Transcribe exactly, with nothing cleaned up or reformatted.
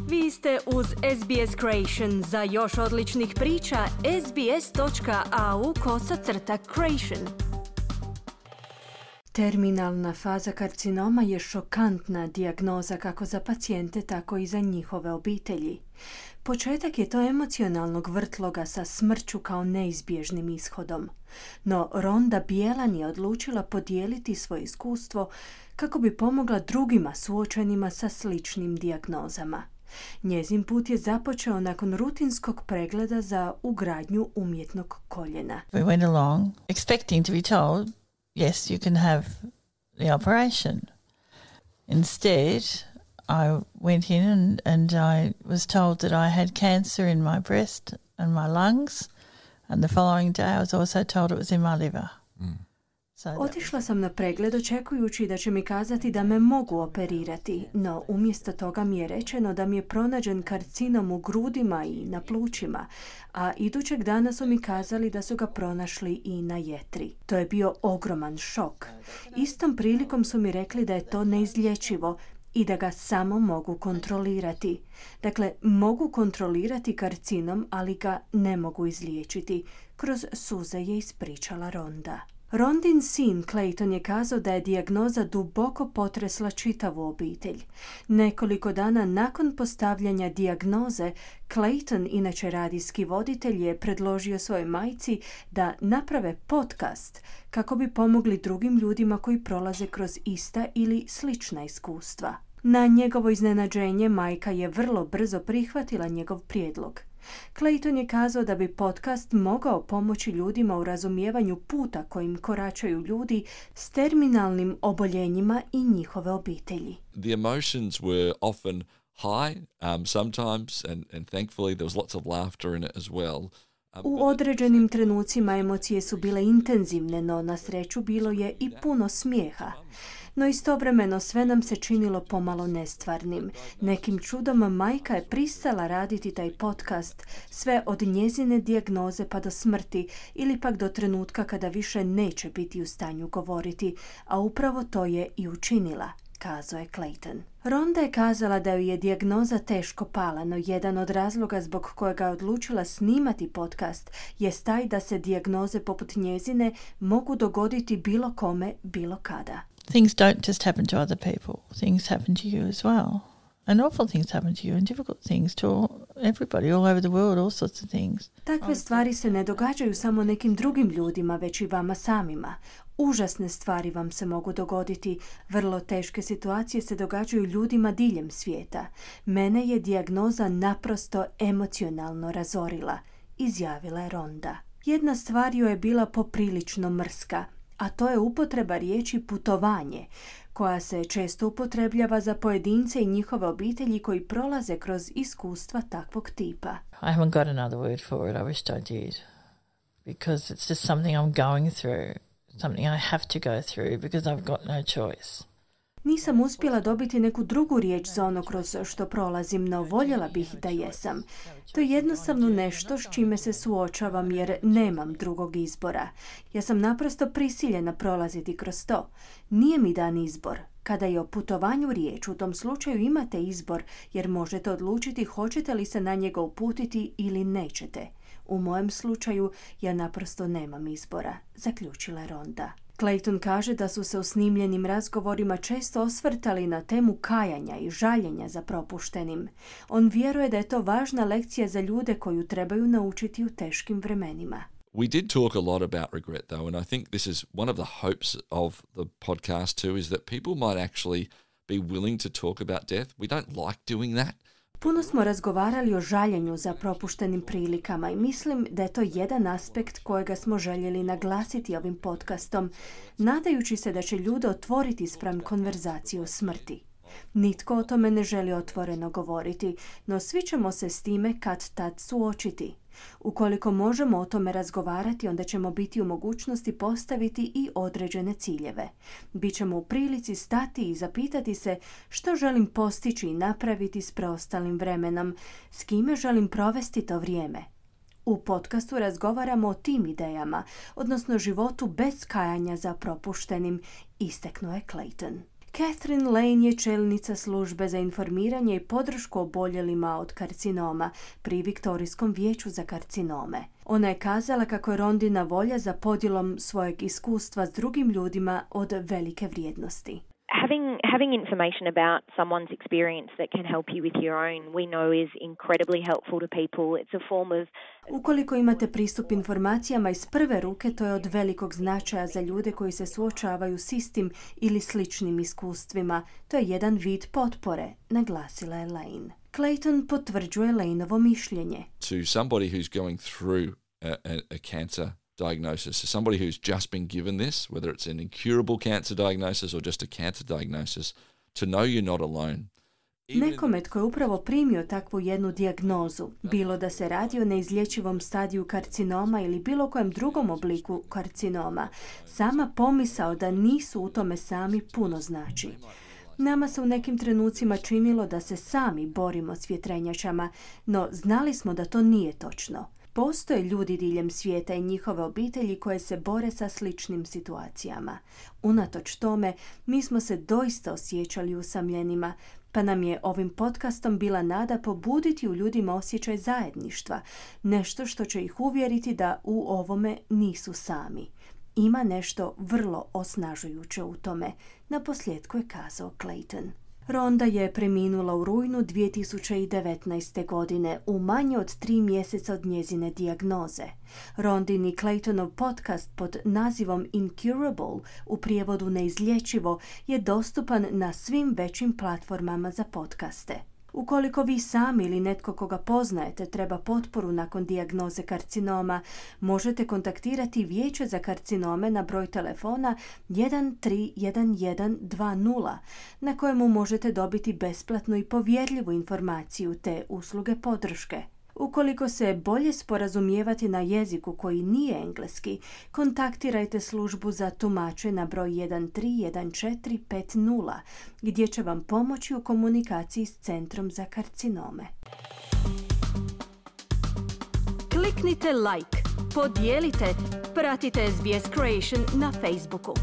Vi ste uz S B S Creation. Za još odličnih priča, sbs.au kosacrta creation. Terminalna faza karcinoma je šokantna dijagnoza kako za pacijente, tako i za njihove obitelji. Početak je to emocionalnog vrtloga sa smrću kao neizbježnim ishodom. No Rhonda Bielan je odlučila podijeliti svoje iskustvo kako bi pomogla drugima suočenima sa sličnim dijagnozama. Njezin put je započeo nakon rutinskog pregleda za ugradnju umjetnog koljena. We went along expecting to be told, yes, you can have the operation. Instead, I went in and, and I was told that I had cancer in my breast and my lungs, and the following day I was also told it was in my liver. Mm. So Otišla sam na pregled očekujući da će mi kazati da me mogu operirati, no umjesto toga mi je rečeno da mi je pronađen karcinom u grudima i na plućima, a idućeg dana su mi kazali da su ga pronašli i na jetri. To je bio ogroman šok. Istom prilikom su mi rekli da je to neizlječivo i da ga samo mogu kontrolirati. Dakle, mogu kontrolirati karcinom, ali ga ne mogu izliječiti. Kroz suze je ispričala Rhonda. Rhondin sin Clayton je kazao da je dijagnoza duboko potresla čitavu obitelj. Nekoliko dana nakon postavljanja dijagnoze, Clayton, inače radijski voditelj, je predložio svojoj majci da naprave podcast kako bi pomogli drugim ljudima koji prolaze kroz ista ili slična iskustva. Na njegovo iznenađenje, majka je vrlo brzo prihvatila njegov prijedlog. Clayton je kazao da bi podcast mogao pomoći ljudima u razumijevanju puta kojim koračaju ljudi s terminalnim oboljenjima i njihove obitelji. The emotions were often high, um, sometimes, and, and thankfully there was lots of laughter in it as well. U određenim trenucima emocije su bile intenzivne, no na sreću bilo je i puno smijeha. No istovremeno sve nam se činilo pomalo nestvarnim. Nekim čudom majka je pristala raditi taj podcast, sve od njezine dijagnoze pa do smrti ili pak do trenutka kada više neće biti u stanju govoriti, a upravo to je i učinila, kazao je Clayton. Rhonda je kazala da ju je dijagnoza teško pala, no jedan od razloga zbog kojega je odlučila snimati podcast jest taj da se dijagnoze poput njezine mogu dogoditi bilo kome, bilo kada. Things don't just happen to other people. Things happen to you as well. And awful things happen to you and difficult things to everybody all over the world, all sorts of things. Takve stvari se ne događaju samo nekim drugim ljudima, već i vama samima. Užasne stvari vam se mogu dogoditi. Vrlo teške situacije se događaju ljudima diljem svijeta. Mene je dijagnoza naprosto emocionalno razorila, izjavila je Rhonda. Jedna stvar joj je bila poprilično mrska, a to je upotreba riječi putovanje, koja se često upotrebljava za pojedince i njihove obitelji koji prolaze kroz iskustva takvog tipa. I haven't got another word for it. I wish I did. Because it's just something I'm going through. Something I have to go through because I've got no choice. Nisam uspjela dobiti neku drugu riječ za ono kroz što prolazim, no voljela bih da jesam. To je jednostavno nešto s čime se suočavam jer nemam drugog izbora. Ja sam naprosto prisiljena prolaziti kroz to. Nije mi dan izbor. Kada je o putovanju riječ, u tom slučaju imate izbor jer možete odlučiti hoćete li se na njega uputiti ili nećete. U mojem slučaju ja naprosto nemam izbora, zaključila Rhonda. Clayton kaže da su se u snimljenim razgovorima često osvrtali na temu kajanja i žaljenja za propuštenim. On vjeruje da je to važna lekcija za ljude koju trebaju naučiti u teškim vremenima. We did talk a lot about regret though, and I think this is one of the hopes of the podcast too, is that people might actually be willing to talk about death. We don't like doing that. Puno smo razgovarali o žaljenju za propuštenim prilikama i mislim da je to jedan aspekt kojega smo željeli naglasiti ovim podcastom, nadajući se da će ljude otvoriti spram konverzacije o smrti. Nitko o tome ne želi otvoreno govoriti, no svi ćemo se s time kad tad suočiti. Ukoliko možemo o tome razgovarati, onda ćemo biti u mogućnosti postaviti i određene ciljeve. Bićemo u prilici stati i zapitati se što želim postići i napraviti s preostalim vremenom, s kime želim provesti to vrijeme. U podcastu razgovaramo o tim idejama, odnosno životu bez kajanja za propuštenim, istaknuo je Clayton. Catherine Lane je čelnica službe za informiranje i podršku oboljelima od karcinoma pri Viktorijskom vijeću za karcinome. Ona je kazala kako je Rondina volja za podjelom svojeg iskustva s drugim ljudima od velike vrijednosti. Having having information about someone's experience that can help you with your own, we know is incredibly helpful to people. It's a form of Ukoliko imate pristup informacijama iz prve ruke, to je od velikog značaja za ljude koji se suočavaju s istim ili sličnim iskustvima. To je jedan vid potpore, naglasila je Lane. Clayton potvrđuje Laneovo mišljenje. To somebody who's going through a, a, a cancer diagnosis, so somebody who's just been given this, whether it's an incurable cancer diagnosis or just a cancer diagnosis, to know you're not alone. Nekome tko je upravo primio takvu jednu dijagnozu, bilo da se radi o neizlječivom stadiju karcinoma ili bilo kojem drugom obliku karcinoma, sama pomisao da nisu u tome sami puno znači. Nama se u nekim trenucima činilo da se sami borimo s vjetrenjačama, no znali smo da to nije točno. Postoje ljudi diljem svijeta i njihove obitelji koje se bore sa sličnim situacijama. Unatoč tome, mi smo se doista osjećali usamljenima, pa nam je ovim podcastom bila nada pobuditi u ljudima osjećaj zajedništva, nešto što će ih uvjeriti da u ovome nisu sami. Ima nešto vrlo osnažujuće u tome, naposljetku je kazao Clayton. Ronda je preminula u rujnu dvije tisuće devetnaeste. godine, u manje od tri mjeseca od njezine dijagnoze. Rondin i Claytonov podcast pod nazivom Incurable, u prijevodu neizlječivo, je dostupan na svim većim platformama za podcaste. Ukoliko vi sami ili netko koga poznajete treba potporu nakon dijagnoze karcinoma, možete kontaktirati Vijeće za karcinome na broj telefona jedan tri jedan jedan dva nula, na kojemu možete dobiti besplatnu i povjerljivu informaciju te usluge podrške. Ukoliko se bolje sporazumijevati na jeziku koji nije engleski, kontaktirajte službu za tumače na broj jedan tri jedan četiri pet nula, gdje će vam pomoći u komunikaciji s Centrom za karcinome. Kliknite like, podijelite, pratite S B S Creation na Facebooku.